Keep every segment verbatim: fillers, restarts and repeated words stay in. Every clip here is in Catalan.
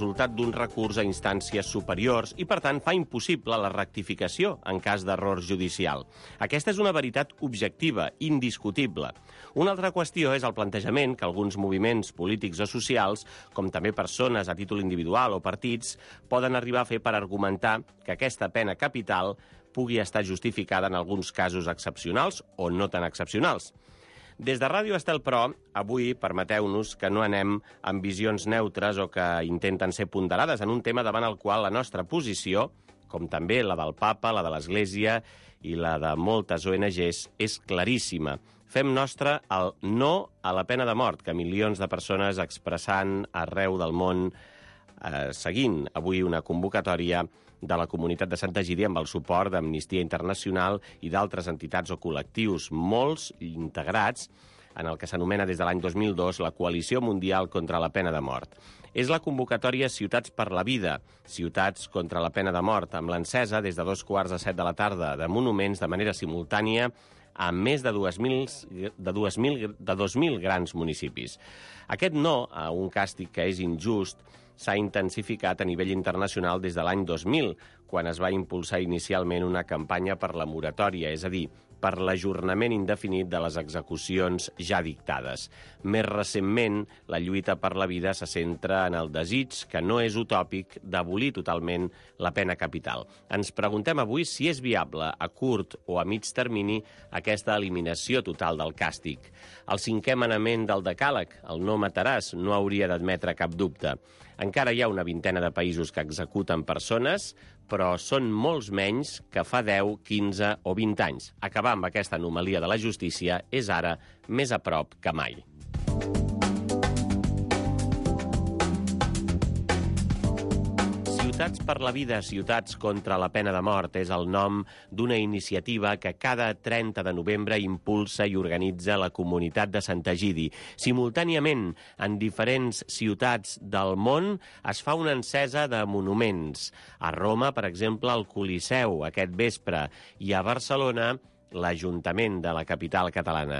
resultat d'un recurs a instàncies superiors i, per tant, fa impossible la rectificació en cas d'error judicial. Aquesta és una veritat objectiva, indiscutible. Una altra qüestió és el plantejament que alguns moviments polítics o socials, com també persones a títol individual o partits, poden arribar a fer per argumentar que aquesta pena capital pugui estar justificada en alguns casos excepcionals o no tan excepcionals. Des de Ràdio Estel, però, avui permeteu-nos que no anem amb visions neutres o que intenten ser ponderades en un tema davant el qual la nostra posició, com també la del Papa, la de l'Església i la de moltes O N Ges, és claríssima. Fem nostre el no a la pena de mort que milions de persones expressant arreu del món, eh, seguint avui una convocatòria de la comunitat de Sant Egidi amb el suport d'Amnistia Internacional i d'altres entitats o col·lectius, molts integrats en el que s'anomena des de l'any dos mil dos la Coalició Mundial contra la Pena de Mort. És la convocatòria Ciutats per la Vida, Ciutats contra la Pena de Mort, amb l'encesa des de dos quarts de set de la tarda de monuments de manera simultània a més de dos mil, de dos mil, de dos mil grans municipis. Aquest no a un càstig que és injust s'ha intensificat a nivell internacional des de l'any dos mil, quan es va impulsar inicialment una campanya per la moratòria, és a dir, per l'ajornament indefinit de les execucions ja dictades. Més recentment, la lluita per la vida se centra en el desig, que no és utòpic, d'abolir totalment la pena capital. Ens preguntem avui si és viable a curt o a mig termini aquesta eliminació total del càstig. El cinquè manament del decàleg, el no mataràs, no hauria d'admetre cap dubte. Encara hi ha una vintena de països que executen persones, però són molts menys que fa deu, quinze o vint anys. Acabar amb aquesta anomalia de la justícia és ara més a prop que mai. Ciutats per la Vida, Ciutats contra la Pena de Mort és el nom d'una iniciativa que cada trenta de novembre impulsa i organitza la comunitat de Sant Egidi. Simultàniament, en diferents ciutats del món es fa una encesa de monuments. A Roma, per exemple, el Coliseu aquest vespre, i a Barcelona, l'Ajuntament de la capital catalana.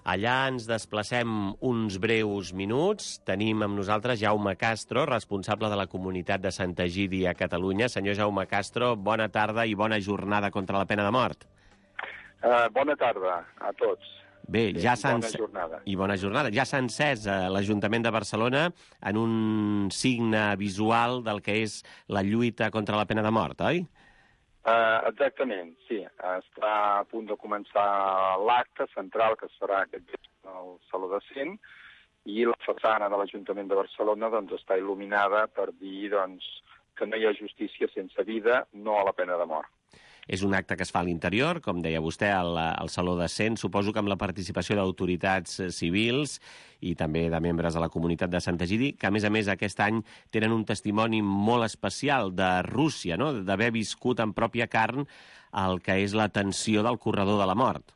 Allà ens desplacem uns breus minuts. Tenim amb nosaltres Jaume Castro, responsable de la comunitat de Sant Egidi a Catalunya. Senyor Jaume Castro, bona tarda i bona jornada contra la pena de mort. Uh, bona tarda a tots. Bé, sí, ja s'ha bona jornada. I bona jornada. Ja s'ha encès a l'Ajuntament de Barcelona en un signe visual del que és la lluita contra la pena de mort, oi? Uh, exactament, sí. Està a punt de començar l'acte central que es farà aquest vespre al Saló de Cent i la façana de l'Ajuntament de Barcelona doncs, està il·luminada per dir doncs, que no hi ha justícia sense vida, no a la pena de mort. És un acte que es fa a l'interior, com deia vostè, al, al Saló de Cent, suposo que amb la participació d'autoritats civils i també de membres de la comunitat de Sant Egidi, que a més a més aquest any tenen un testimoni molt especial de Rússia, no? D'haver viscut en pròpia carn el que és la tensió del corredor de la mort.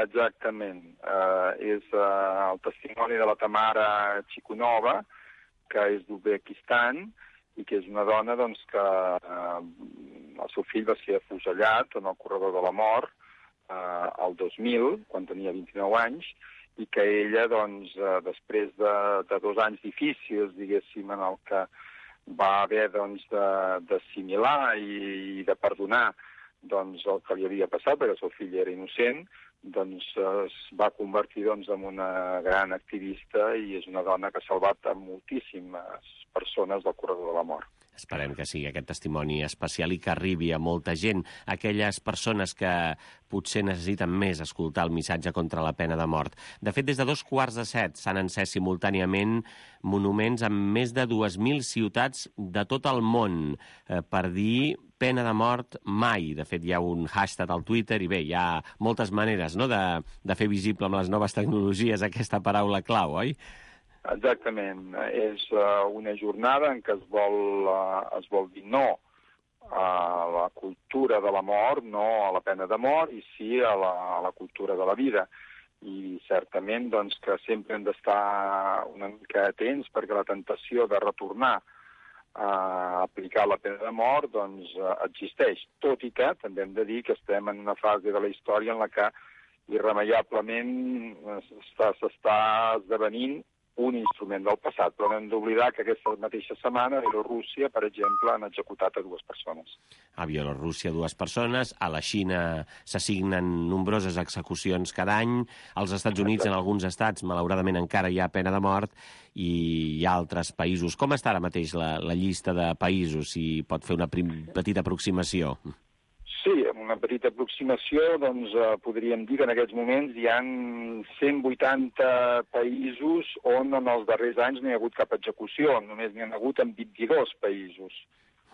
Exactament. Uh, és uh, el testimoni de la Tamara Chikunova, que és d'Uzbekistan, i que és una dona doncs, que eh, el seu fill va ser afusellat en el corredor de la mort eh, el dos mil, quan tenia vint-i-nou anys, i que ella, doncs, eh, després de, de dos anys difícils, diguéssim, en el que va haver doncs, d'assimilar i, i de perdonar doncs, el que li havia passat, perquè el seu fill era innocent, doncs es va convertir doncs, en una gran activista i és una dona que ha salvat a moltíssimes persones del corredor de la mort. Esperem que sigui aquest testimoni especial i que arribi a molta gent, aquelles persones que potser necessiten més escoltar el missatge contra la pena de mort. De fet, des de dos quarts de set s'han encès simultàniament monuments en més de dues mil ciutats de tot el món eh, per dir pena de mort mai. De fet, hi ha un hashtag al Twitter i bé, hi ha moltes maneres no, de, de fer visible amb les noves tecnologies aquesta paraula clau, oi? Exactament. És uh, una jornada en què es vol, uh, es vol dir no a la cultura de la mort, no a la pena de mort, i sí a la, a la cultura de la vida. I certament doncs, que sempre hem d'estar una mica atents perquè la tentació de retornar a aplicar la pena de mort doncs, existeix. Tot i que també hem de dir que estem en una fase de la història en la que irremeiablement s'està esdevenint un instrument del passat, però no hem d'oblidar que aquesta mateixa setmana a Bielorússia, per exemple, han executat a dues persones. A Bielorússia, dues persones. A la Xina s'assignen nombroses execucions cada any. Als Estats Units, en alguns estats, malauradament encara hi ha pena de mort, i hi ha altres països. Com està ara mateix la, la llista de països? Si pot fer una prim, petita aproximació. Sí, amb una petita aproximació, doncs, eh, podríem dir que en aquests moments hi ha cent vuitanta països on en els darrers anys no hi ha hagut cap execució, només n'hi ha hagut en vint-i-dos països.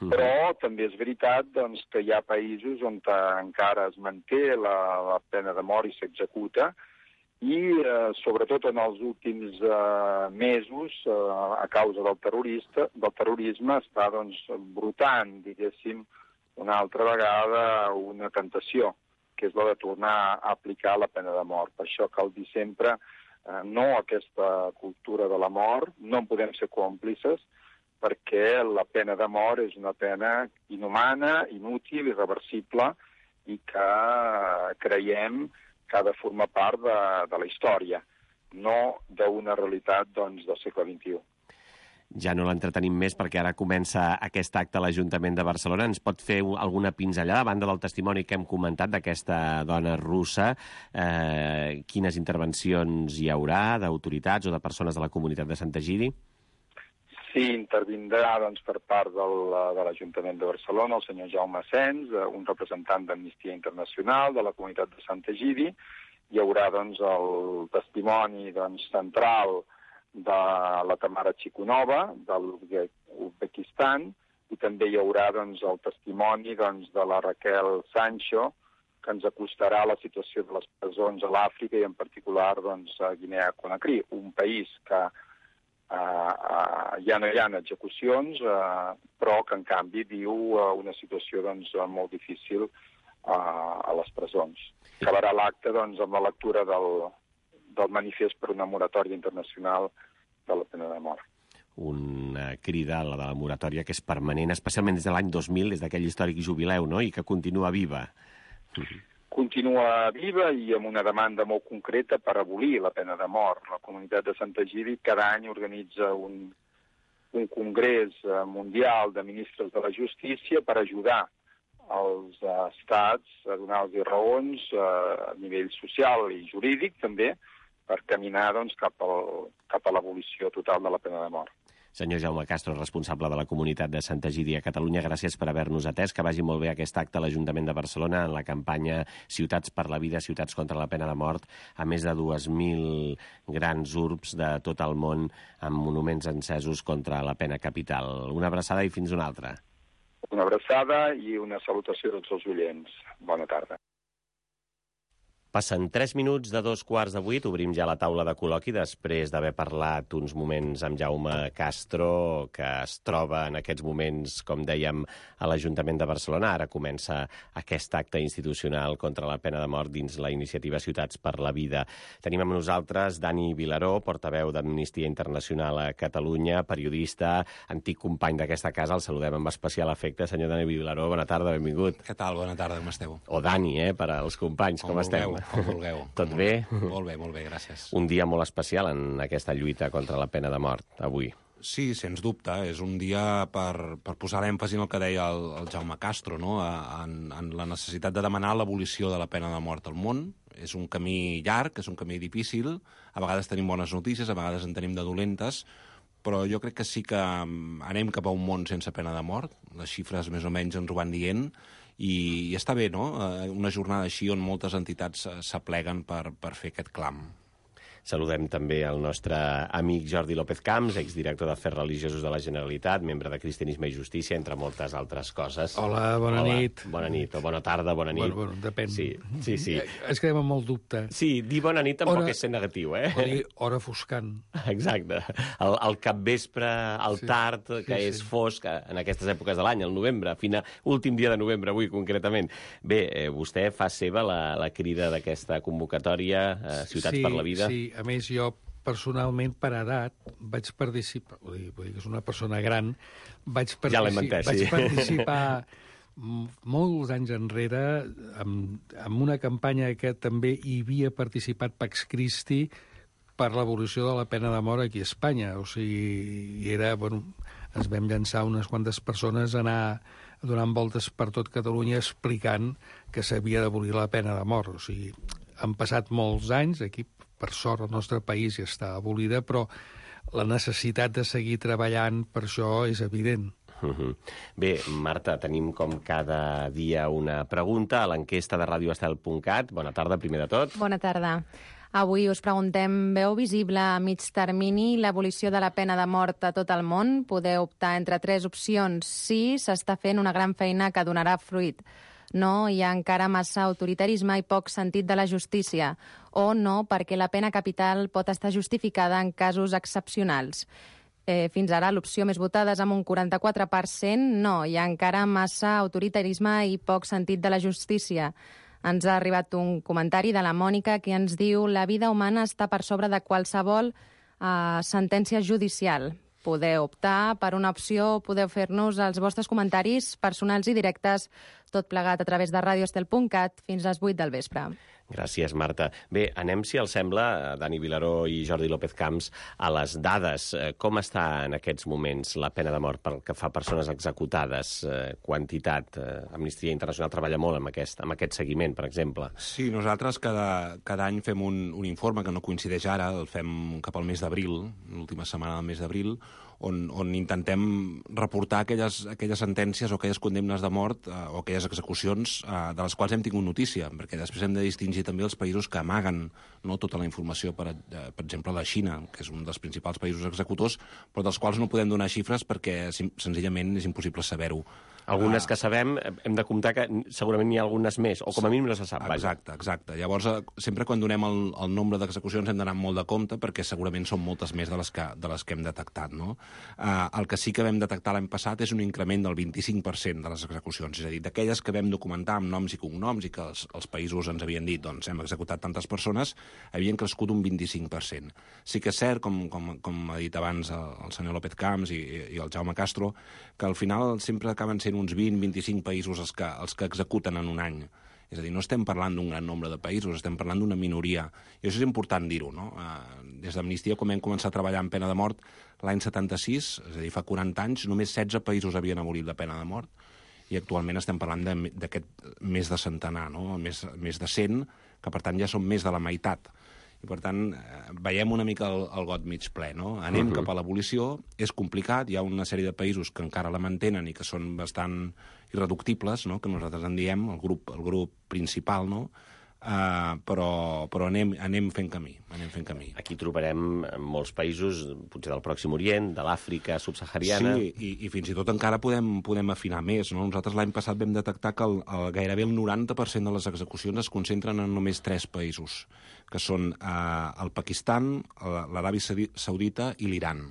Mm. Però també és veritat doncs, que hi ha països on encara es manté la, la pena de mort i s'executa, i eh, sobretot en els últims eh, mesos, eh, a causa del, terrorista, del terrorisme, està doncs, brotant, diguéssim, una altra vegada una tentació, que és la de tornar a aplicar la pena de mort. Per això cal dir sempre eh, no a aquesta cultura de la mort, no en podem ser còmplices, perquè la pena de mort és una pena inhumana, inútil, irreversible, i que creiem que ha de formar part de, de la història, no d'una realitat doncs, del segle vint-i-u. Ja no l'entretenim més perquè ara comença aquest acte a l'Ajuntament de Barcelona. Ens pot fer alguna pinzellada, a banda del testimoni que hem comentat d'aquesta dona russa? Eh, quines intervencions hi haurà d'autoritats o de persones de la comunitat de Sant Egidi? Sí, intervindrà doncs, per part del, de l'Ajuntament de Barcelona el senyor Jaume Sens, un representant d'Amnistia Internacional de la comunitat de Sant Egidi. Hi haurà doncs, el testimoni doncs, central de la Tamara Chikunova, de l'Uzbekistan, i també hi haurà doncs, el testimoni doncs, de la Raquel Sancho, que ens acostarà a la situació de les presons a l'Àfrica i en particular doncs, a Guinea-Conakry, un país que eh, eh, ja no hi ha execucions, eh, però que en canvi viu eh, una situació doncs, molt difícil eh, a les presons. Acabarà l'acte doncs, amb la lectura del, del manifest per una moratòria internacional de la pena de mort. Una crida, la de la moratòria, que és permanent, especialment des de l'any dos mil, des d'aquell històric jubileu, no?, i que continua viva. Continua viva i amb una demanda molt concreta per abolir la pena de mort. La comunitat de Sant Egidi cada any organitza un, un congrés mundial de ministres de la justícia per ajudar els uh, estats a donar-los raons uh, a nivell social i jurídic, també, per caminar doncs, cap, al, cap a l'abolició total de la pena de mort. Senyor Jaume Castro, responsable de la comunitat de Sant Egidi a Catalunya, gràcies per haver-nos atès. Que vagi molt bé aquest acte a l'Ajuntament de Barcelona en la campanya Ciutats per la Vida, Ciutats contra la Pena de Mort, a més de dos mil grans urbs de tot el món amb monuments encesos contra la pena capital. Una abraçada i fins una altra. Una abraçada i una salutació a tots els oients. Bona tarda. Passen tres minuts de dos quarts de vuit, obrim ja la taula de col·loqui després d'haver parlat uns moments amb Jaume Castro, que es troba en aquests moments, com dèiem, a l'Ajuntament de Barcelona. Ara comença aquest acte institucional contra la pena de mort dins la iniciativa Ciutats per la Vida. Tenim amb nosaltres Dani Vilaró, portaveu d'Amnistia Internacional a Catalunya, periodista, antic company d'aquesta casa. El saludem amb especial afecte. Senyor Dani Vilaró, bona tarda, benvingut. Què tal? Bona tarda, com esteu? O Dani, eh, per als companys, com, com esteu? Com vulgueu. Tot bé? Molt bé, molt bé, gràcies. Un dia molt especial en aquesta lluita contra la pena de mort, avui. Sí, sens dubte. És un dia per, per posar l'èmfasi en el que deia el, el Jaume Castro, no? en, en la necessitat de demanar l'abolició de la pena de mort al món. És un camí llarg, és un camí difícil. A vegades tenim bones notícies, a vegades en tenim de dolentes, però jo crec que sí que anem cap a un món sense pena de mort. Les xifres més o menys ens ho van dient. I, i està bé, no?, una jornada així on moltes entitats s'apleguen per, per fer aquest clam. Saludem també el nostre amic Jordi López Camps, exdirector d'Afers Religiosos de la Generalitat, membre de Cristianisme i Justícia, entre moltes altres coses. Hola, bona Hola, nit. Bona nit, o bona tarda, bona nit. Bueno, bueno, depèn. Sí, sí, sí. Es quedem amb molt dubte. Sí, dir bona nit tampoc hora, és ser negatiu, eh? Vol dir hora foscant. Exacte. El, el capvespre, el sí, tard, que sí, és sí. fosc, en aquestes èpoques de l'any, el novembre, fina, últim dia de novembre, avui concretament. Bé, eh, vostè fa seva la, la crida d'aquesta convocatòria, eh, Ciutats sí, per la Vida. Sí, a més jo personalment, per edat, vaig participar, vull dir, vull dir que és una persona gran, vaig, partici ja entès, vaig sí. participar molts anys enrere amb, amb una campanya que també hi havia participat Pax Christi per l'abolició de la pena de mort aquí a Espanya. O sigui, i era, bueno, ens vam llançar unes quantes persones a anar donant voltes per tot Catalunya explicant que s'havia d'abolir la pena de mort. O sigui, han passat molts anys, aquí, per sort, el nostre país ja està abolida, però la necessitat de seguir treballant per això és evident. Uh-huh. Bé, Marta, tenim com cada dia una pregunta a l'enquesta de radio estel punt cat. Bona tarda, primer de tot. Bona tarda. Avui us preguntem, veu visible a mig termini l'abolició de la pena de mort a tot el món? Podeu optar entre tres opcions. Sí, s'està fent una gran feina que donarà fruit. No, hi ha encara massa autoritarisme i poc sentit de la justícia. O no, perquè la pena capital pot estar justificada en casos excepcionals. Eh, fins ara l'opció més votada és amb un quaranta-quatre per cent. No, hi ha encara massa autoritarisme i poc sentit de la justícia. Ens ha arribat un comentari de la Mònica que ens diu la vida humana està per sobre de qualsevol eh, sentència judicial. Podeu optar per una opció, podeu fer-nos els vostres comentaris personals i directes, tot plegat a través de radio estel punt cat fins a les vuit del vespre. Gràcies, Marta. Bé, anem, si els sembla, Dani Vilaró i Jordi López Camps, a les dades. Com està en aquests moments la pena de mort pel que fa a persones executades? Quantitat? Amnistia Internacional treballa molt amb aquest, amb aquest seguiment, per exemple. Sí, nosaltres cada, cada any fem un, un informe que no coincideix ara, el fem cap al mes d'abril, l'última setmana del mes d'abril, on, on intentem reportar aquelles, aquelles sentències o aquelles condemnes de mort eh, o aquelles execucions eh, de les quals hem tingut notícia, perquè després hem de distingir també els països que amaguen, no, tota la informació, per, eh, per exemple la Xina, que és un dels principals països executors, però dels quals no podem donar xifres perquè senzillament és impossible saber-ho. Algunes que sabem, hem de comptar que segurament n'hi ha algunes més, o com a mínim no se sap. Exacte, exacte. Llavors, sempre quan donem el, el nombre d'execucions hem d'anar molt de compte, perquè segurament són moltes més de les que, de les que hem detectat, no? Uh, el que sí que vam detectar l'any passat és un increment del vint-i-cinc per cent de les execucions, és a dir, d'aquelles que vam documentar amb noms i cognoms i que els, els països ens havien dit, doncs hem executat tantes persones, havien crescut un vint-i-cinc per cent. Sí que és cert, com, com, com ha dit abans el, el senyor López Camps i, i el Jaume Castro, que al final sempre acaben sent uns vint a vint-i-cinc països els que, els que executen en un any. És a dir, no estem parlant d'un gran nombre de països, estem parlant d'una minoria. I això és important dir-ho, no? Des d'Amnistia, quan vam començar a treballar en pena de mort l'any setanta-sis, és a dir, fa quaranta anys, només setze països havien abolit la pena de mort, i actualment estem parlant d'aquest més de centenar, no? Més, més de cent, que per tant ja són més de la meitat. I, per tant, veiem una mica el, el got mig ple, no? Anem uh-huh. cap a l'abolició, és complicat, hi ha una sèrie de països que encara la mantenen i que són bastant irreductibles, no? Que nosaltres en diem, el grup, el grup principal, no? Uh, però, però anem, anem fent camí, anem fent camí. Aquí trobarem molts països, potser del Pròxim Orient, de l'Àfrica subsahariana... Sí, i, i fins i tot encara podem, podem afinar més, no? Nosaltres l'any passat vam detectar que el, el, gairebé el noranta per cent de les execucions es concentren en només tres països, que són uh, el Pakistan, l'Aràbia Saudita i l'Iran.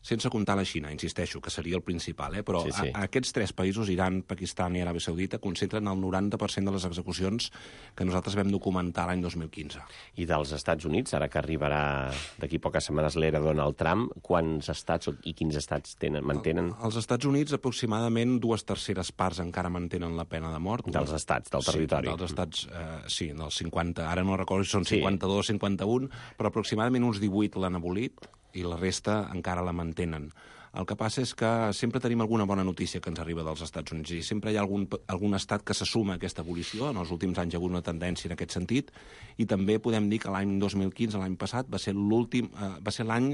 Sense comptar la Xina, insisteixo, que seria el principal, eh? Però sí, sí. A, a aquests tres països, Iran, Pakistan i Aràbia Saudita, concentren el noranta per cent de les execucions que nosaltres vam documentar l'any dos mil quinze. I dels Estats Units, ara que arribarà d'aquí poques setmanes l'era Donald Trump, quants estats i quins estats tenen, mantenen? El, als Estats Units, aproximadament dues terceres parts encara mantenen la pena de mort. Dels estats, del territori. Sí, dels estats, eh, sí, dels cinquanta, ara no recordo si són cinquanta-dos, sí. cinquanta-un, però aproximadament uns divuit l'han abolit, i la resta encara la mantenen. El que passa és que sempre tenim alguna bona notícia que ens arriba dels Estats Units i sempre hi ha algun, algun estat que se suma a aquesta abolició. En els últims anys hi ha hagut una tendència en aquest sentit i també podem dir que l'any dos mil quinze, l'any passat, va ser l'últim, eh, va ser l'any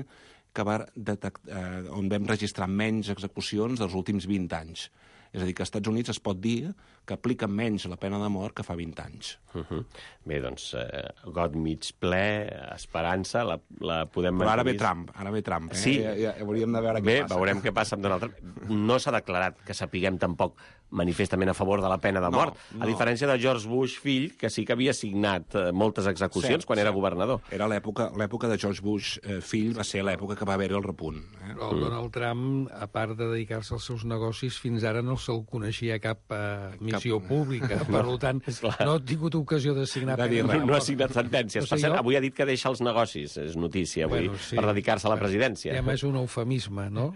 que va detect, eh, on vam registrar menys execucions dels últims vint anys. És a dir, que als Estats Units es pot dir que apliquen menys la pena de mort que fa vint anys. Uh-huh. Bé, doncs, eh, got mig ple, esperança, la, la podem... Però ara ve Trump, ara ve Trump. Eh? Sí. Ja, ja, hauríem de veure què Bé, passa. Bé, veurem què passa amb Donald Trump. No s'ha declarat que sapiguem tampoc manifestament a favor de la pena de mort, no, no. A diferència de George Bush fill, que sí que havia signat eh, moltes execucions sí, quan sí. era governador. Era l'època l'època de George Bush eh, fill, va ser l'època que va haver-hi el repunt. Eh? El Donald Trump, a part de dedicar-se als seus negocis, fins ara no se'l coneixia cap eh, missió cap... pública, per no, tant, no he tingut ocasió de signar de dir, no, no ha signat sentències. Per cert, jo... avui ha dit que deixa els negocis, és notícia avui, bueno, sí, per dedicar-se a la presidència. Ja és un eufemisme, no?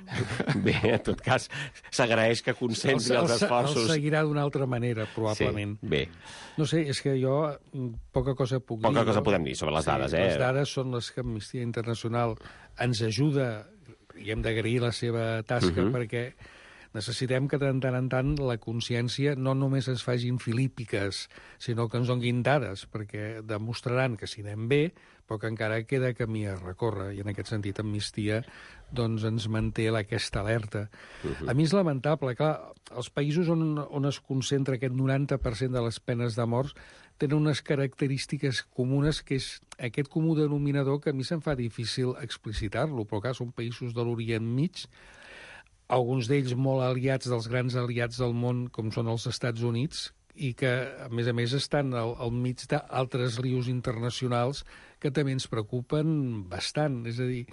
Bé, en tot cas, s'agraeix que concentri el, els esforços. El seguirà d'una altra manera, probablement. Sí, bé. No sé, és que jo poca cosa puc poca dir. Poca cosa no? podem dir sobre les dades, sí, eh? Les dades són les que Amnistia Internacional ens ajuda, i hem d'agrair la seva tasca, uh-huh. perquè necessitem que de tant en tant la consciència no només es facin filípiques, sinó que ens donguin dades, perquè demostraran que si anem bé, però que encara queda camí a recórrer, i en aquest sentit Amnistia doncs, ens manté aquesta alerta. Uh-huh. A mi és lamentable, clar, els països on, on es concentra aquest noranta per cent de les penes de mort tenen unes característiques comunes, que és aquest comú denominador que a mi se'm fa difícil explicitar-lo, però clar, són països de l'Orient Mig, alguns d'ells molt aliats dels grans aliats del món, com són els Estats Units, i que, a més a més, estan al, al mig d'altres lius internacionals que també ens preocupen bastant. És a dir,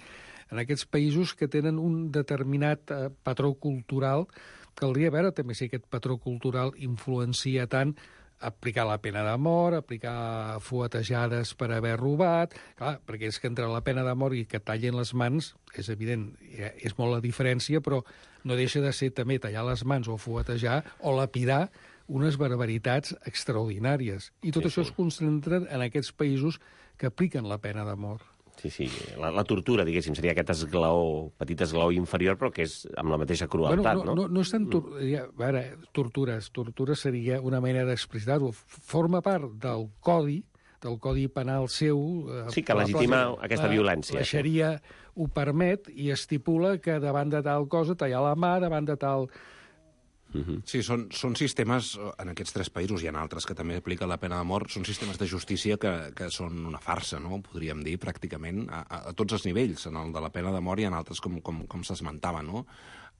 en aquests països que tenen un determinat eh, patró cultural, caldria veure també si aquest patró cultural influencia tant aplicar la pena de mort, aplicar fuetejades per haver robat. Clar, perquè és que entre la pena de mort i que tallin les mans, és evident, és molt la diferència, però no deixa de ser també tallar les mans o fuetejar o lapidar unes barbaritats extraordinàries. I tot sí, això sí. es concentra en aquests països que apliquen la pena de mort. Sí, sí, la, la tortura, diguéssim, seria aquest esglaó, petit esglaó inferior, però que és amb la mateixa crueltat, bueno, no, no? No, no és tant tor ja, a veure, tortures. Tortura seria una manera d'explicitar-ho. Forma part del codi, del codi penal seu... Sí, que legitima la, aquesta la, violència. La xaria ho permet i estipula que davant de tal cosa tallar la mà, davant de tal... Uh-huh. Sí, són, són sistemes, en aquests tres països, hi ha altres que també apliquen la pena de mort, són sistemes de justícia que, que són una farsa, no? Podríem dir, pràcticament, a, a, a tots els nivells, en el de la pena de mort i en altres, com, com, com s'esmentava, no?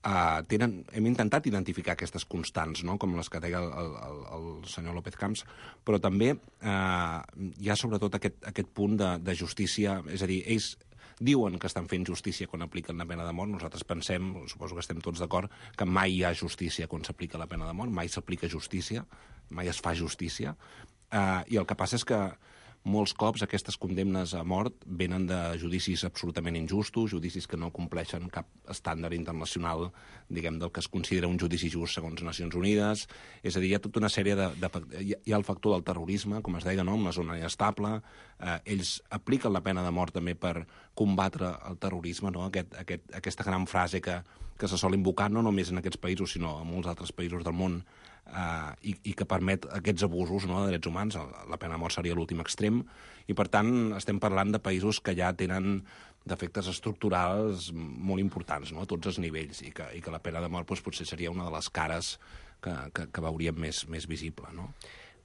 Uh, tenen, hem intentat identificar aquestes constants, no? Com les que deia el, el, el senyor López Camps, però també uh, hi ha sobretot aquest, aquest punt de, de justícia, és a dir, ells diuen que estan fent justícia quan apliquen la pena de mort. Nosaltres pensem, suposo que estem tots d'acord, que mai hi ha justícia quan s'aplica la pena de mort, mai s'aplica justícia, mai es fa justícia, uh, i el que passa és que molts cops aquestes condemnes a mort venen de judicis absolutament injustos, judicis que no compleixen cap estàndard internacional, diguem, del que es considera un judici just segons Nacions Unides. És a dir, hi ha tota una sèrie de... de hi ha el factor del terrorisme, com es deia, no?, en la zona inestable. Eh, ells apliquen la pena de mort també per combatre el terrorisme, no?, Aquest, aquest, aquesta gran frase que, que se sol invocar no només en aquests països, sinó en molts altres països del món, Uh, i, i que permet aquests abusos, no?, de drets humans. La pena de mort seria l'últim extrem, i per tant estem parlant de països que ja tenen defectes estructurals molt importants, no?, a tots els nivells, i que, i que la pena de mort doncs, potser seria una de les cares que, que, que veuríem més, més visible, no?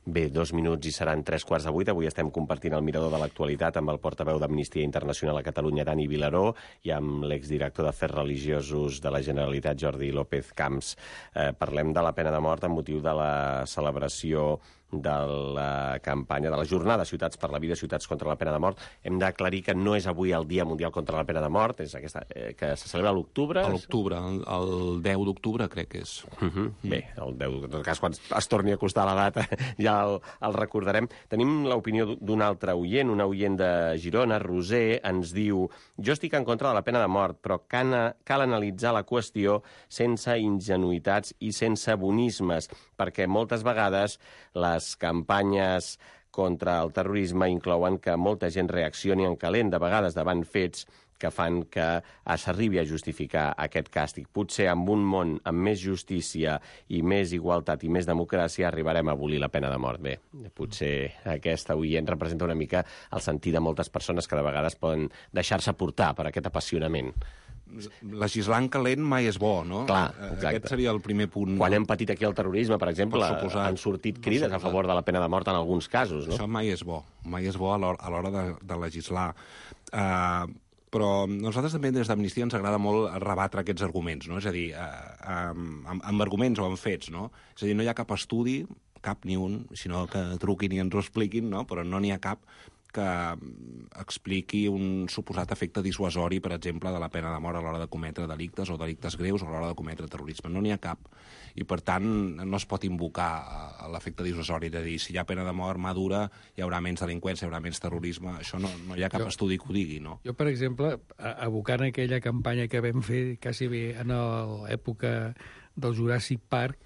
Bé, dos minuts i seran tres quarts de vuit. Avui estem compartint el mirador de l'actualitat amb el portaveu d'Amnistia Internacional a Catalunya, Dani Vilaró, i amb l'exdirector d'Afers Religiosos de la Generalitat, Jordi López Camps. Eh, parlem de la pena de mort amb motiu de la celebració de la campanya, de la jornada Ciutats per la Vida, Ciutats contra la Pena de Mort. Hem d'aclarir que no és avui el Dia Mundial contra la Pena de Mort, és aquesta, eh, que se celebra a l'octubre. A l'octubre, el, el deu d'octubre crec que és. Uh -huh. mm. Bé, el deu d'octubre, en tot cas, quan es torni a acostar la data ja el, el recordarem. Tenim l'opinió d'un altre oient, un oient de Girona, Roser, ens diu: jo estic en contra de la pena de mort, però cal, cal analitzar la qüestió sense ingenuïtats i sense bonismes, perquè moltes vegades les Les campanyes contra el terrorisme inclouen que molta gent reaccioni en calent, de vegades davant fets que fan que s'arribi a justificar aquest càstig. Potser en un món amb més justícia i més igualtat i més democràcia arribarem a abolir la pena de mort. Bé, potser aquesta oient representa una mica el sentir de moltes persones que de vegades poden deixar-se portar per aquest apassionament. Legislar en calent mai és bo, no? Clar, exacte. Aquest seria el primer punt. Quan hem patit aquí el terrorisme, per exemple, per han sortit crides a favor de la pena de mort en alguns casos, no? Això mai és bo, mai és bo a l'hora de, de legislar. Uh, però a nosaltres també des d'Amnistia ens agrada molt rebatre aquests arguments, no? És a dir, uh, um, amb, amb arguments o amb fets, no? És a dir, no hi ha cap estudi, cap ni un, sinó que truquin i ens ho expliquin, no? Però no n'hi ha cap que expliqui un suposat efecte dissuasori, per exemple, de la pena de mort a l'hora de cometre delictes o delictes greus o a l'hora de cometre terrorisme. No n'hi ha cap. I, per tant, no es pot invocar l'efecte dissuasori de dir si hi ha pena de mort mà dura hi haurà menys delinqüència, hi haurà menys terrorisme. Això no, no hi ha cap jo, estudi que ho digui, no? Jo, per exemple, evocant aquella campanya que vam fer quasi bé en l'època del Jurassic Park,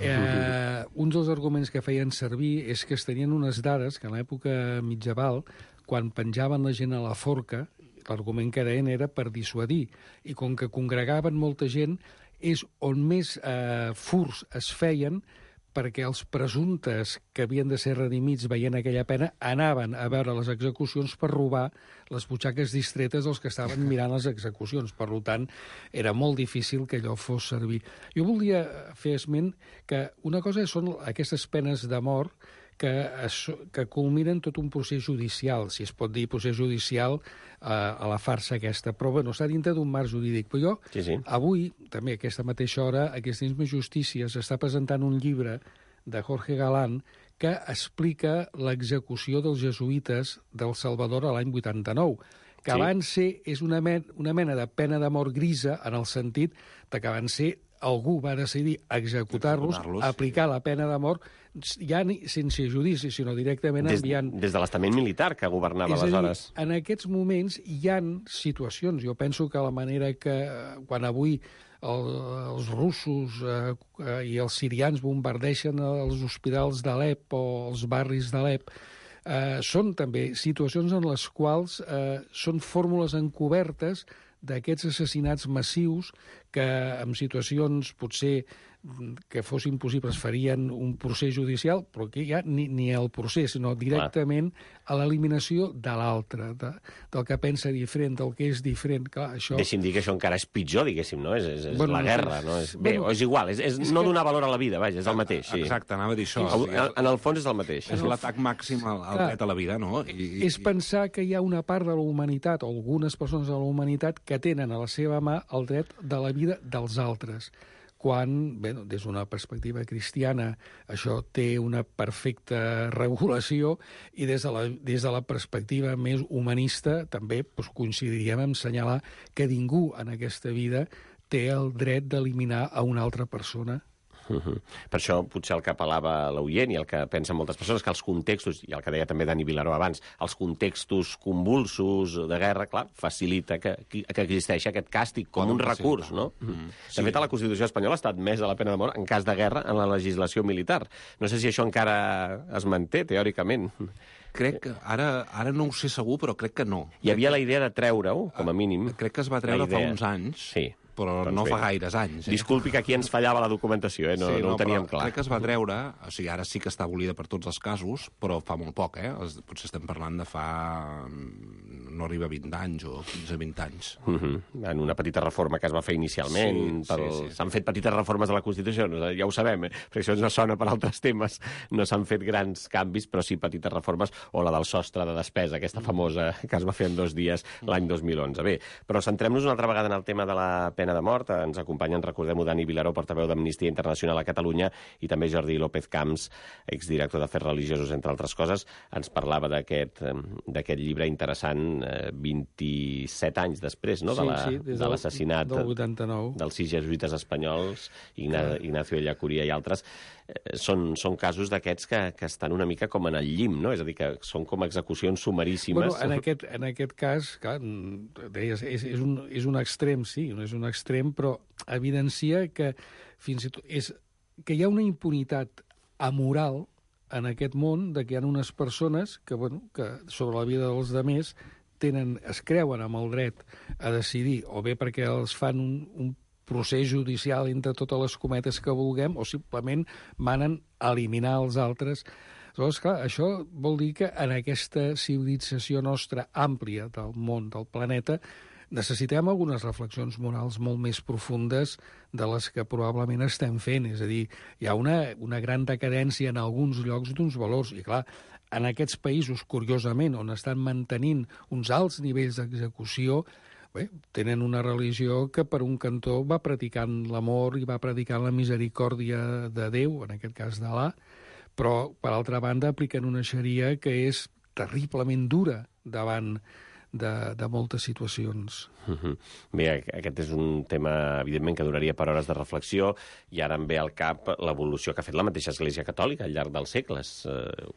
Eh, uns dels arguments que feien servir és que es tenien unes dades que en l'època mitjaval, quan penjaven la gent a la forca, l'argument que deien era per dissuadir. I com que congregaven molta gent, és on més eh, furs es feien perquè els presumptes que havien de ser redimits veient aquella pena anaven a veure les execucions per robar les butxaques distretes dels que estaven mirant les execucions. Per tant, era molt difícil que allò fos servir. Jo volia fer esment que una cosa són aquestes penes de mort que, es, que culminen tot un procés judicial, si es pot dir procés judicial eh, a la farsa aquesta, però bueno, està dintre d'un marc jurídic. Però jo, sí, sí. avui, també a aquesta mateixa hora, aquesta misma justícia s'està presentant un llibre de Jorge Galán que explica l'execució dels jesuïtes del Salvador a l'any vuitanta-nou, que sí. Van ser, és una, men una mena de pena de mort grisa en el sentit de que van ser algú va decidir executar-los, executar aplicar sí. la pena de mort, ja ni, sense judici, sinó directament des, enviant... Des de l'estament militar que governava aleshores. És a dir, en aquests moments hi han situacions. Jo penso que la manera que, quan avui el, els russos eh, i els sirians bombardeixen els hospitals d'Alep o els barris d'Alep, eh, són també situacions en les quals eh, són fórmules encobertes d'aquests assassinats massius que en situacions potser que fossin possibles farien un procés judicial, però que ja ni, ni el procés, sinó directament Clar. a l'eliminació de l'altre, de, del que pensa diferent, del que és diferent. Clar, això... Deixi'm dir que això encara és pitjor, diguéssim, no? És, és, és bueno, la guerra, no? És, bé, bueno, és igual, és, és, és no que... donar valor a la vida, vaja, és el mateix. Sí. Exacte, anava a dir això. En, en, en el fons és el mateix. És l'atac màxim al, al dret a la vida, no? I, i, és pensar que hi ha una part de la humanitat, o algunes persones de la humanitat, que tenen a la seva mà el dret de la vida dels altres. Quan, bé, des d'una perspectiva cristiana, això té una perfecta regulació i des de la, des de la perspectiva més humanista també doncs, coincidiríem en assenyalar que ningú en aquesta vida té el dret d'eliminar a una altra persona. Uh-huh. Per això potser el que apel·lava l'oient i el que pensen moltes persones, que els contextos, i el que deia també Dani Vilaró abans, els contextos convulsos de guerra, clar, facilita que, que existeixi aquest càstig com Poden un recurs, no? Mm. De fet, a la Constitució espanyola ha estat admesa la pena de mort en cas de guerra en la legislació militar. No sé si això encara es manté, teòricament. Crec que, ara, ara no ho sé segur, però crec que no. Hi havia la idea de treure-ho, com a mínim. Crec que es va treure fa uns anys. Sí. Però doncs no bé. Fa gaires anys. Eh? Disculpi que aquí ens fallava la documentació, eh? no, sí, no, no ho teníem clar. Crec que es va treure, o sigui, ara sí que està abolida per tots els casos, però fa molt poc, eh? Potser estem parlant de fa... no arriba a vint anys o quinze a vint anys. Uh -huh. En una petita reforma que es va fer inicialment. Sí, pel... sí, sí. S'han fet petites reformes de la Constitució, ja ho sabem, eh? Perquè això no sona per altres temes. No s'han fet grans canvis, però sí petites reformes, o la del sostre de despesa, aquesta famosa que es va fer en dos dies l'any dos mil onze. Bé, però centrem-nos una altra vegada en el tema de la pena de mort. Ens acompanyen, recordem-ho, Dani Vilaró, portaveu d'Amnistia Internacional a Catalunya, i també Jordi López Camps, exdirector d'Afers Religiosos, entre altres coses. Ens parlava d'aquest d'aquest llibre interessant, eh, vint-i-set anys després, no?, sí, sí, de l'assassinat del vuitanta-nou dels sis jesuïtes espanyols, Igna, Ignacio Ellacuría i altres. Eh, són, són casos d'aquests que, que estan una mica com en el llim, no? És a dir, que són com execucions sumaríssimes. Bueno, en aquest, en aquest cas, clar, deies, és, és, un, és un extrem, sí, no és un extrem, però evidencia que fins i tot és, que hi ha una impunitat amoral en aquest món, de que hi ha unes persones que, bueno, que sobre la vida dels demés tenen, es creuen amb el dret a decidir, o bé perquè els fan un, un procés judicial entre totes les cometes que vulguem, o simplement manen a eliminar els altres. Aleshores, clar, això vol dir que en aquesta civilització nostra àmplia del món, del planeta, necessitem algunes reflexions morals molt més profundes de les que probablement estem fent. És a dir, hi ha una, una gran decadència en alguns llocs d'uns valors. I clar, en aquests països, curiosament, on estan mantenint uns alts nivells d'execució, bé, tenen una religió que per un cantó va predicant l'amor i va predicant la misericòrdia de Déu, en aquest cas d'Alà, però per altra banda apliquen una xaria que és terriblement dura davant de, de moltes situacions. Uh-huh. Bé, aquest és un tema, evidentment, que duraria per hores de reflexió, i ara em ve al cap l'evolució que ha fet la mateixa Església Catòlica al llarg dels segles. Eh,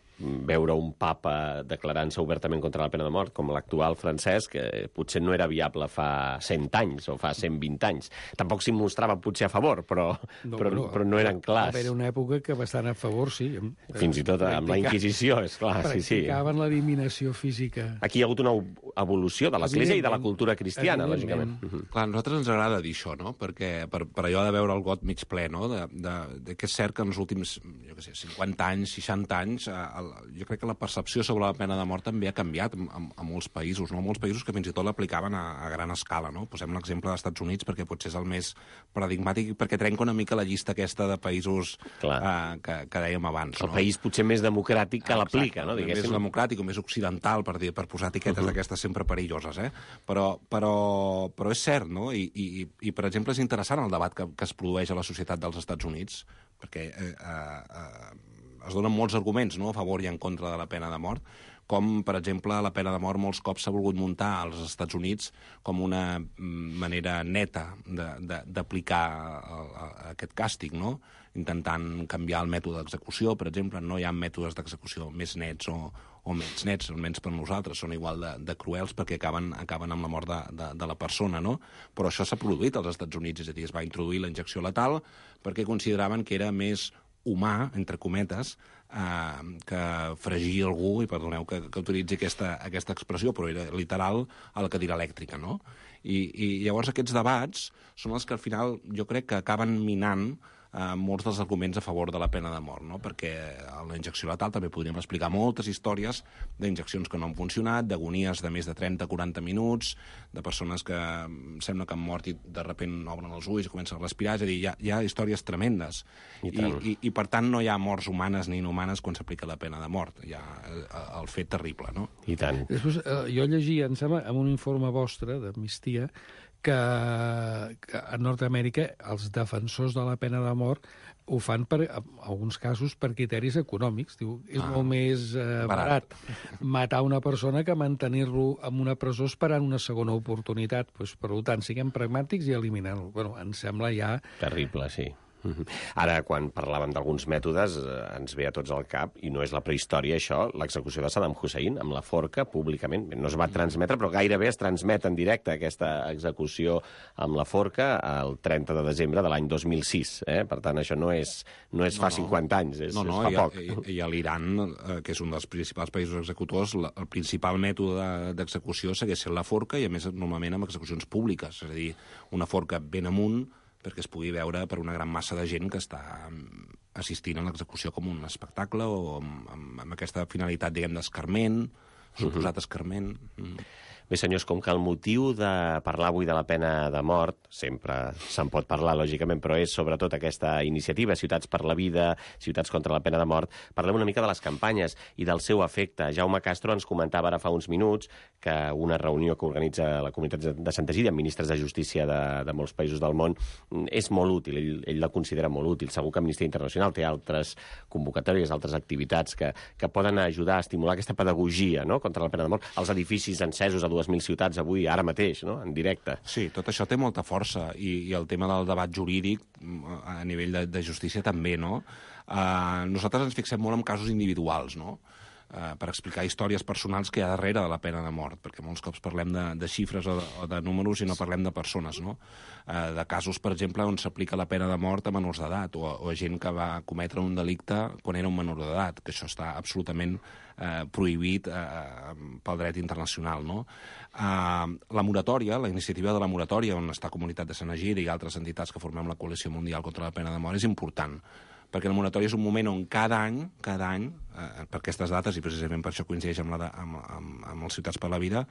veure un papa declarant-se obertament contra la pena de mort, com l'actual Francesc, que potser no era viable fa cent anys o fa cent vint anys. Tampoc s'hi mostrava potser a favor, però no, però, però, però no eren clars. Va haver una època que bastant a favor, sí. Fins i tot amb la Inquisició, és clar. Sí, sí. Practicaven l'eliminació física. Aquí hi ha hagut una evolució de l'Església i de la cultura cristiana, lògicament. Uh-huh. Clar, a nosaltres ens agrada dir això, no? Perquè per, per allò de veure el got mig ple, no? De, de, de que és cert que en els últims, jo què sé, cinquanta anys, seixanta anys, el, jo crec que la percepció sobre la pena de mort també ha canviat a, a molts països, no? Molts països que fins i tot l'aplicaven a, a gran escala, no? Posem l'exemple dels Estats Units perquè potser és el més paradigmàtic, perquè trenca una mica la llista aquesta de països eh, que, que dèiem abans. El no? país potser més democràtic que l'aplica, no? Més democràtic o més occidental, per, dir, per posar etiquetes uh-huh. d'aquestes sempre perilloses, eh? Però, però, però és cert, no? I, i, i, per exemple, és interessant el debat que, que es produeix a la societat dels Estats Units, perquè eh, eh, es donen molts arguments, no?, a favor i en contra de la pena de mort, com, per exemple, la pena de mort molts cops s'ha volgut muntar als Estats Units com una manera neta d'aplicar aquest càstig, no?, intentant canviar el mètode d'execució, per exemple. No hi ha mètodes d'execució més nets o, o menys nets, són menys per nosaltres, són igual de, de cruels perquè acaben, acaben amb la mort de, de, de la persona, no? Però això s'ha produït als Estats Units, és a dir, es va introduir la injecció letal perquè consideraven que era més humà, entre cometes, eh, que fregir algú, i perdoneu que, que utilitzi aquesta, aquesta expressió, però era literal a la cadira elèctrica, no? I, i llavors aquests debats són els que al final jo crec que acaben minant eh, molts dels arguments a favor de la pena de mort, no? Perquè a la injecció letal també podríem explicar moltes històries d'injeccions que no han funcionat, d'agonies de més de trenta a quaranta minuts, de persones que sembla que han mort i de sobte obren els ulls i comencen a respirar, és a dir, hi ha, hi ha històries tremendes. I, I, i, I per tant no hi ha morts humanes ni inhumanes quan s'aplica la pena de mort. Hi ha el fet terrible, no? I tant. Després, eh, jo llegia, em sembla, en un informe vostre d'Amnistia, que, que a Nord-Amèrica els defensors de la pena de mort ho fan, per, en alguns casos, per criteris econòmics. Diu, és ah, molt més eh, barat. barat matar una persona que mantenir-lo en una presó esperant una segona oportunitat. Pues, per tant, siguem pragmàtics i eliminem-lo. Bueno, em sembla ja... Terrible, sí. Ara, quan parlàvem d'alguns mètodes, eh, ens ve a tots al cap, i no és la prehistòria, això, l'execució de Saddam Hussein amb la forca, públicament. No es va transmetre, però gairebé es transmet en directe aquesta execució amb la forca el trenta de desembre de l'any dos mil sis. Eh? Per tant, això no és, no és fa no, no. cinquanta anys, és, no, no, és fa i a, poc. I, i a l'Iran, eh, que és un dels principals països executors, la, el principal mètode d'execució segueix sent la forca, i a més normalment amb execucions públiques, és a dir, una forca ben amunt, perquè es pugui veure per una gran massa de gent que està assistint a l'execució com un espectacle o amb, amb, amb aquesta finalitat, diguem, d'escarment, suposat escarment. Mm. Bé, senyors, com que el motiu de parlar avui de la pena de mort, sempre se'n pot parlar, lògicament, però és sobretot aquesta iniciativa, Ciutats per la Vida, Ciutats contra la Pena de Mort, parlem una mica de les campanyes i del seu efecte. Jaume Castro ens comentava ara fa uns minuts que una reunió que organitza la comunitat de Santa Gíria amb ministres de justícia de, de molts països del món és molt útil, ell, ell la considera molt útil. Segur que Amnistia Internacional té altres convocatòries, altres activitats que, que poden ajudar a estimular aquesta pedagogia, no?, contra la pena de mort. Els edificis encesos a dues mil ciutats avui, ara mateix, no?, en directe. Sí, tot això té molta força, i, i el tema del debat jurídic a nivell de, de justícia també, no? Uh, nosaltres ens fixem molt en casos individuals, no?, uh, per explicar històries personals que hi ha darrere de la pena de mort, perquè molts cops parlem de, de xifres o de, o de números i no parlem de persones, no? Uh, de casos, per exemple, on s'aplica la pena de mort a menors d'edat, o, o a gent que va cometre un delicte quan era un menor d'edat, que això està absolutament Eh, prohibit eh, pel dret internacional, no? Eh, la moratòria, la iniciativa de la moratòria, on està Comunitat de Sant Egidi i altres entitats que formem la Coalició Mundial contra la Pena de Mort, és important, perquè la moratòria és un moment on cada any, cada any, eh, per aquestes dates, i precisament per això coincideix amb, la de, amb, amb, amb els Ciutats per la Vida,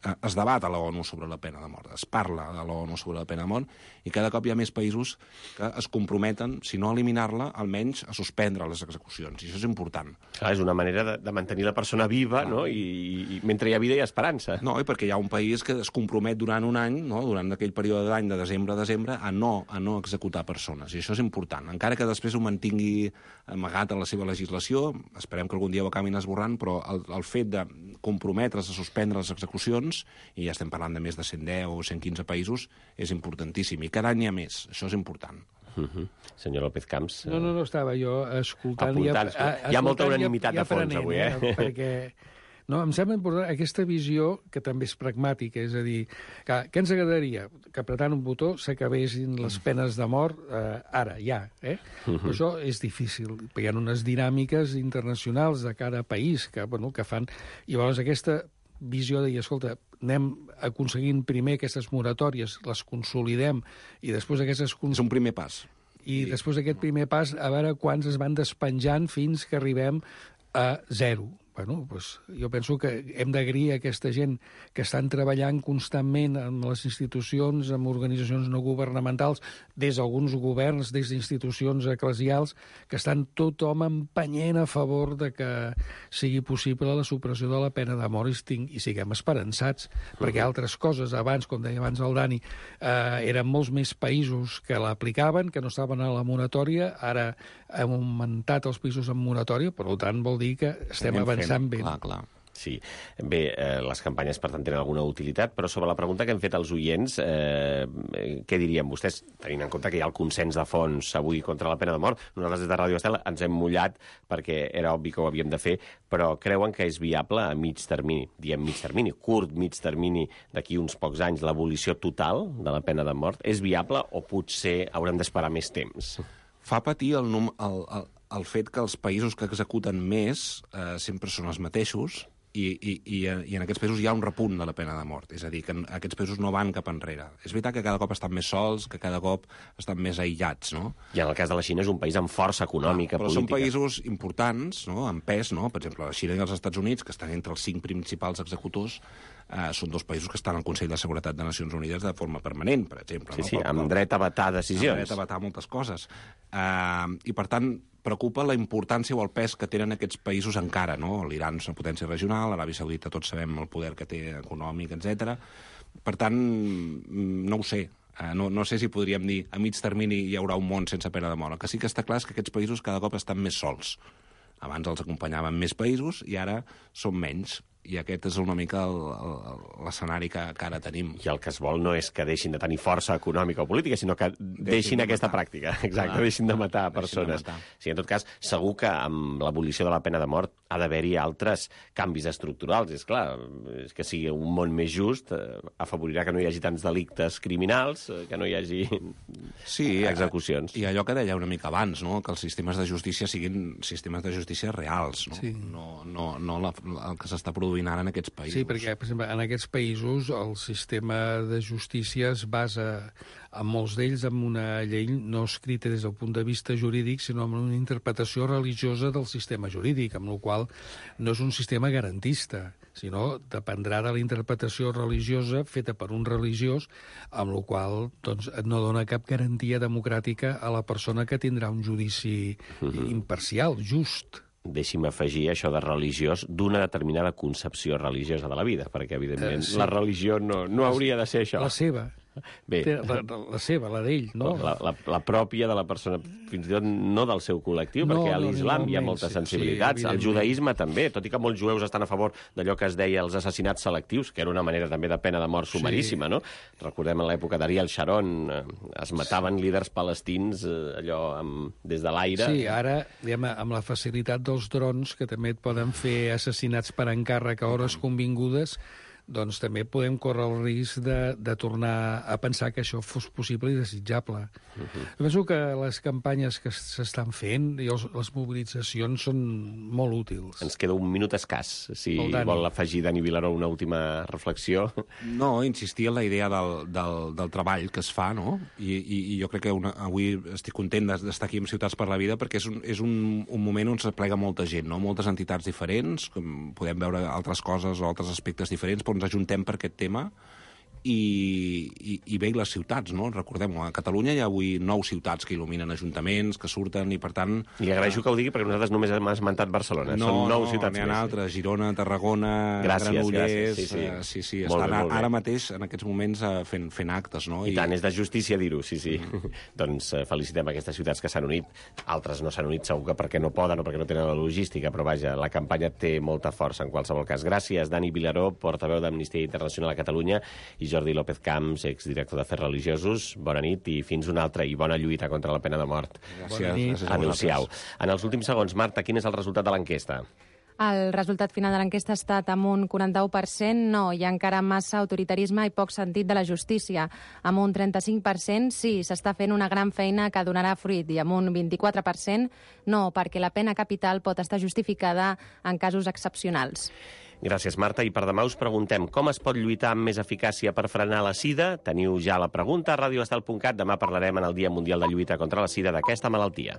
es debat a l'ONU sobre la pena de mort, es parla a l'ONU sobre la pena de mort, i cada cop hi ha més països que es comprometen, si no a eliminar-la, almenys a suspendre les execucions, i això és important. Clar, és una manera de, de mantenir la persona viva, no? I, i mentre hi ha vida hi ha esperança. No, i perquè hi ha un país que es compromet durant un any, no? Durant aquell període d'any, de desembre a desembre, a no, a no executar persones, i això és important. Encara que després ho mantingui amagat en la seva legislació, esperem que algun dia ho acabin esborrant, però el, el fet de comprometre's a suspendre les execucions, i ja estem parlant de més de cent deu o cent quinze països, és importantíssim, i cada any hi ha més, això és important. Uh -huh. Senyor López Camps... No, no, no, estava jo escoltant... Apuntant, ja, a, hi ha molta unanimitat de fons avui, eh? eh? Perquè... No, em sembla important aquesta visió, que també és pragmàtica, és a dir, que, què ens agradaria? Que apretant un botó s'acabessin les penes de mort eh, ara, ja. Eh? Uh -huh. Això és difícil, perquè hi ha unes dinàmiques internacionals de cada país que, bueno, que fan... I llavors aquesta visió de dir, escolta, anem aconseguint primer aquestes moratòries, les consolidem, i després aquestes... És un primer pas. I després d'aquest primer pas, a veure quants es van despenjant fins que arribem a zero. Bueno, doncs jo penso que hem d'agrair a aquesta gent que estan treballant constantment amb les institucions, amb organitzacions no governamentals, des d'alguns governs, des d'institucions eclesials, que estan tothom empenyent a favor de que sigui possible la supressió de la pena de mort i, i siguem esperançats, uh-huh. perquè altres coses, abans, com deia abans el Dani, eh, eren molts més països que l'aplicaven, que no estaven a la moratòria, ara hem augmentat els països en moratòria, per tant vol dir que estem avançant. Clar, clar. Sí. Bé, eh, les campanyes, per tant, tenen alguna utilitat, però sobre la pregunta que hem fet als oients, eh, què dirien vostès, tenint en compte que hi ha el consens de fons avui contra la pena de mort? Nosaltres des de Ràdio Estel ens hem mullat perquè era obvi que ho havíem de fer, però creuen que és viable a mig termini, diem mig termini, curt mig termini, d'aquí uns pocs anys, l'abolició total de la pena de mort? És viable o potser haurem d'esperar més temps? Fa patir el, num, el, el, el fet que els països que executen més eh, sempre són els mateixos i, i, i, i en aquests països hi ha un repunt de la pena de mort. És a dir, que aquests països no van cap enrere. És veritat que cada cop estan més sols, que cada cop estan més aïllats, no? I en el cas de la Xina és un país amb força econòmica, ah, però política. Però són països importants, no?, amb pes, no? Per exemple, la Xina i els Estats Units, que estan entre els cinc principals executors, eh, són dos països que estan al Consell de Seguretat de Nacions Unides de forma permanent, per exemple. Sí, no? sí, però, amb però, dret a vetar decisions. Amb dret a vetar moltes coses. Eh, I, per tant, preocupa la importància o el pes que tenen aquests països encara, no? L'Iran és una potència regional, l'Aràbia Saudita tots sabem el poder que té econòmic, etcètera. Per tant, no ho sé. Uh, no, no sé si podríem dir a mig termini hi haurà un món sense pena de mort. El que sí que està clar és que aquests països cada cop estan més sols. Abans els acompanyaven més països i ara són menys. I aquest és una mica l'escenari que, que ara tenim. I el que es vol no és que deixin de tenir força econòmica o política, sinó que deixin, deixin de aquesta matar. pràctica. Exacte, Clar, deixin de matar persones. De matar. Sí, en tot cas, segur que amb l'abolició de la pena de mort ha d'haver-hi altres canvis estructurals. És clar, és que sigui un món més just, eh, afavorirà que no hi hagi tants delictes criminals, eh, que no hi hagi sí, execucions. I allò que deia una mica abans, no?, que els sistemes de justícia siguin sistemes de justícia reals, no, sí. no, no, no la, el que s'està produint ara en aquests països. Sí, perquè, per exemple, en aquests països el sistema de justícia es basa, en molts d'ells, en una llei no escrita des del punt de vista jurídic, sinó en una interpretació religiosa del sistema jurídic, amb la qual no és un sistema garantista, sinó dependrà de la interpretació religiosa feta per un religiós, amb la qual doncs, no dona cap garantia democràtica a la persona que tindrà un judici uh-huh. imparcial, just. Deixi'm afegir això de religiós d'una determinada concepció religiosa de la vida, perquè, evidentment, uh, sí. la religió no, no hauria de ser això. La seva. Bé. La, la seva, la d'ell, no? La, la, la pròpia de la persona, fins i tot no del seu col·lectiu, no, perquè a l'islam no, hi ha moltes sí, sensibilitats. Sí, el judaïsme també, tot i que molts jueus estan a favor d'allò que es deia els assassinats selectius, que era una manera també de pena de mort sumaríssima, sí. no? Recordem en l'època d'Ariel Sharon, eh, es mataven sí. líders palestins eh, allò amb, des de l'aire. Sí, ara, diguem, amb la facilitat dels drons, que també et poden fer assassinats per encàrrec a hores convingudes, doncs també podem córrer el risc de, de tornar a pensar que això fos possible i desitjable. Uh-huh. Penso que les campanyes que s'estan fent i els, les mobilitzacions són molt útils. Ens queda un minut escàs, si vol afegir Dani Vilaró una última reflexió. No, insistir en la idea del, del, del treball que es fa, no? I, i, i jo crec que una, avui estic content d'estar aquí amb Ciutats per la Vida perquè és un, és un, un moment on s'aplega molta gent, no? Moltes entitats diferents, com podem veure altres coses o altres aspectes diferents, però ens ens ajuntem per aquest tema. I, i, i bé, les ciutats, no? Recordem, a Catalunya hi ha avui nou ciutats que il·luminen ajuntaments, que surten, i per tant... Li agraeixo que ho digui, perquè nosaltres només hem esmentat Barcelona. No, Són nou no, ciutats n'hi ha més. altres, Girona, Tarragona, gràcies, Granollers... Gràcies, sí, sí. Uh, sí, sí, molt estan bé, molt bé. ara mateix, en aquests moments, uh, fent, fent actes, no? I, I tant, és de justícia dir-ho, sí, sí. Mm. Doncs uh, felicitem aquestes ciutats que s'han unit. Altres no s'han unit, segur que perquè no poden o perquè no tenen la logística, però vaja, la campanya té molta força en qualsevol cas. Gràcies, Dani Vilaró, portaveu d'Amnistia Internacional a Catalunya, i Jordi López Camps, exdirector d'Afers Religiosos. Bona nit i fins una altra, i bona lluita contra la pena de mort. Gràcies. Adéu-siau. En els últims segons, Marta, quin és el resultat de l'enquesta? El resultat final de l'enquesta ha estat amb un quaranta-u per cent no, hi ha encara massa autoritarisme i poc sentit de la justícia. Amb un trenta-cinc per cent sí, s'està fent una gran feina que donarà fruit, i amb un vint-i-quatre per cent no, perquè la pena capital pot estar justificada en casos excepcionals. Gràcies, Marta. I per demà us preguntem com es pot lluitar amb més eficàcia per frenar la sida. Teniu ja la pregunta a radioestel punt cat. Demà parlarem en el Dia Mundial de Lluita contra la Sida d'aquesta malaltia.